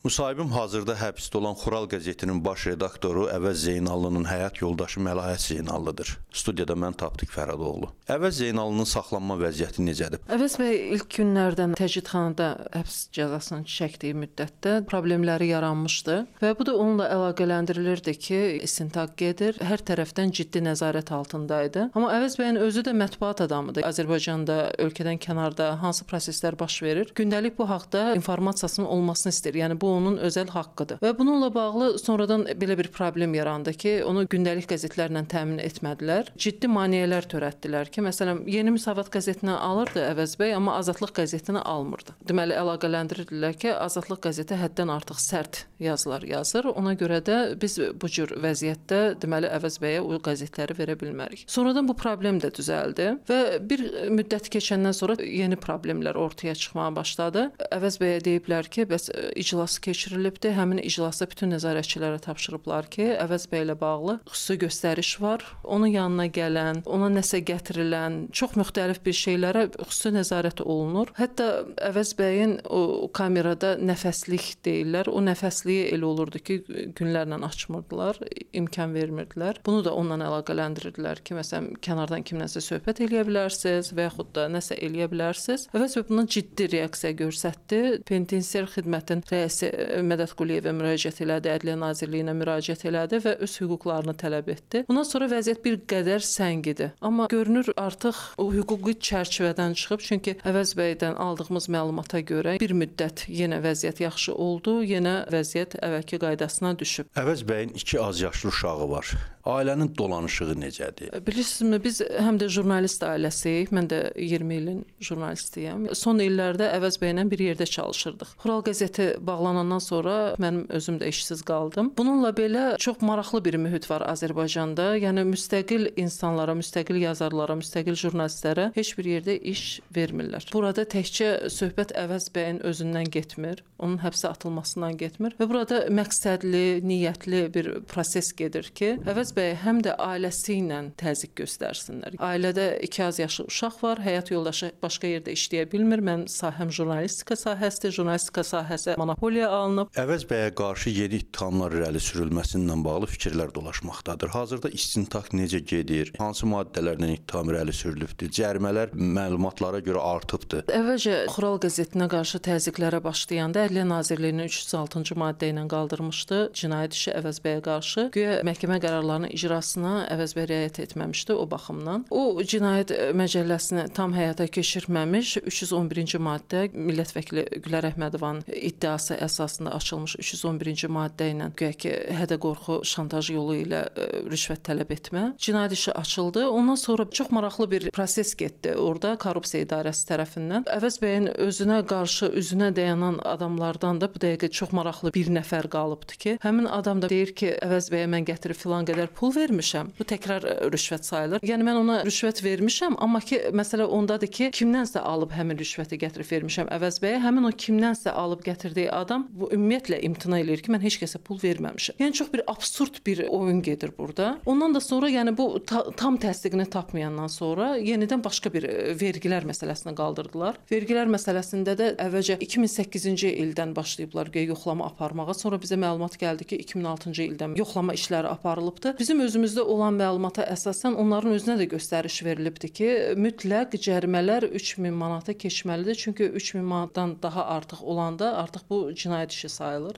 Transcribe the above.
Müsahibim hazırda həbsdə olan Xural qəzetinin baş redaktoru Əvəz Zeynallının həyat yoldaşı Məlahət Zeynallıdır. Studiyada mən Tapdıq Fərhadoğlu. Əvəz Zeynallının saxlanma vəziyyəti necədir? Əvəz bəy ilk günlərdən təcridxanada həbs cəzasını çəkdiyi müddətdə problemləri yaranmışdı və bu da onunla əlaqələndirilirdi ki, istintaq gedir, hər tərəfdən ciddi nəzarət altındaydı. Amma Əvəz bəyin özü də mətbuat adamıdır. Azərbaycanda, ölkədən kənarda hansı proseslər baş verir? Gündəlik bu haqda informasiyasının olmasını istəyir. Yəni bu onun özəl haqqıdır. Və bununla bağlı sonradan belə bir problem yarandı ki, onu gündəlik qəzetlərlə təmin etmədilər. Ciddi maneələr törətdilər ki, məsələn, Yeni Müsavat qəzetinə alırdı Əvəz bəy, amma Azadlıq qəzetinə almırdı. Deməli, əlaqələndirdilər ki, Azadlıq qəzeti həddən artıq sərt yazılar yazır. Ona görə də biz bu cür vəziyyətdə deməli Əvəz bəyə o qəzetləri verə bilmərik. Sonradan bu problem də düzəldi və bir müddət keçəndən sonra yeni problemlər ortaya çıxmağa başladı. Əvəz bəyə deyiblər ki, bəs iclas keçirilibdi. Həmin iclasda bütün nəzarətçilərə tapşırıblar ki, Əvəz bəy ilə bağlı xüsusi göstəriş var. Onun yanına gələn, ona nəsə gətirilən, çox müxtəlif bir şeylərə xüsusi nəzarət olunur. Hətta Əvəz bəyin o kamerada nəfəslik deyirlər. O nəfəsliyi elə olurdu ki, günlərlə açmırdılar, imkan vermirdilər. Bunu da onunla əlaqələndirdilər ki, məsələn, kənardan kimlənsə söhbət eləyə bilərsiniz və yaxud da nəsə eləyə bilərsiniz. Əvəz bəy buna ciddi reaksiya göstərdi. Penitensiar xidmətin rəisi Mədət Quliyevə müraciət elədi, Ədliyyə Nazirliyinə müraciət elədi və öz hüquqlarını tələb etdi. Bundan sonra vəziyyət bir qədər səngidi. Amma görünür artıq o hüquqi çərçivədən çıxıb, çünki Əvəz bəydən aldığımız məlumata görə bir müddət yenə vəziyyət yaxşı oldu, yenə vəziyyət əvvəlki qaydasına düşüb. Əvəz bəyin 2 az yaşlı uşağı var. Ailənin dolanışığı necədir? Bilirsinizmi, biz həm də jurnalist ailəsiyik. Mən də 20 ilin jurnalistiyəm. Son illərdə Əvəz bəylə bir yerdə çalışırdıq. Xural qəzeti bağlanandan sonra mənim özüm də işsiz qaldım. Bununla belə çox maraqlı bir mühit var Azərbaycanda. Yəni müstəqil insanlara, müstəqil yazarlara, müstəqil jurnalistlərə heç bir yerdə iş vermirlər. Burada təkcə söhbət Əvəz bəyin özündən getmir, onun həbsə atılmasından getmir və burada məqsədli, niyyətli bir proses gedir ki, Əvəz bəy həm də ailəsi ilə təzyiq göstərsinlər. Ailədə 2 az yaşlı uşaq var, həyat yoldaşı başqa yerdə işləyə bilmir. Mənim sahəm jurnalistika sahəsidir. Jurnalistika sahəsi monopoliya alınıb. Əvəz bəyə qarşı yeni ittihamlar irəli sürülməsindən bağlı fikirlər dolaşmaqdadır. Hazırda istintaq necə gedir? Hansı maddələrlə ittiham irəli sürülübdür? Cərimələr məlumatlara görə artıbdır. Əvvəlcə Xural qəzetinə qarşı təzyiqlərə başlayanda Ədliyyə Nazirliyinin 306-cı maddə ilə qaldırmışdı cinayət işi Əvəz bəyə qarşı. Güya məhkəmə qərarlarının icrasına Əvəz bəy riayət etməmişdi o baxımdan. O cinayət məcəlləsini tam həyata keçirməmiş 311-ci maddə millət vəkili Gülər Əhmədovanın iddiası əsasında açılmış 311-ci maddə ilə güya ki, hədə-qorxu, şantaj yolu ilə rüşvət tələb etmə cinayət işi açıldı. Ondan sonra çox maraqlı bir proses getdi orada korrupsiya idarəsi tərəfindən. Əvəz bəyin özünə qarşı üzünə dayanan adamlardan da bu dəqiqə çox maraqlı bir nəfər qalıbdı ki, həmin adam da deyir ki, Əvəz bəyə mən gətirib filan qədər pul vermişəm. Bu təkrar rüşvət sayılır. Yəni mən ona rüşvət vermişəm, amma ki, məsələ ondadır ki, kimdənsə alıb həmin rüşvəti gətirib vermişəm Əvəz bəyə. Həmin o kimdənsə alıb gətirdiyi adam bu ümumiyyətlə imtina eləyir ki, mən heç kəsə pul verməmişəm. Yəni çox bir absurd bir oyun gedir burada. Ondan da sonra yəni bu tam təsdiqini tapmayandan sonra yenidən başqa bir vergilər məsələsini qaldırdılar. Vergilər məsələsində də əvvəlcə 2008-ci ildən başlayıblar yoxlama aparmağa. Sonra bizə məlumat gəldi ki, 2006-cı ildən yoxlama işləri aparılıbdı. Bizim özümüzdə olan məlumata əsasən onların özünə də göstəriş verilibdi ki, mütləq cərimələr 3000 manata keçməlidir. Çünki 3000 manatdan daha artıq olanda artıq bu cinayət işi sayılır.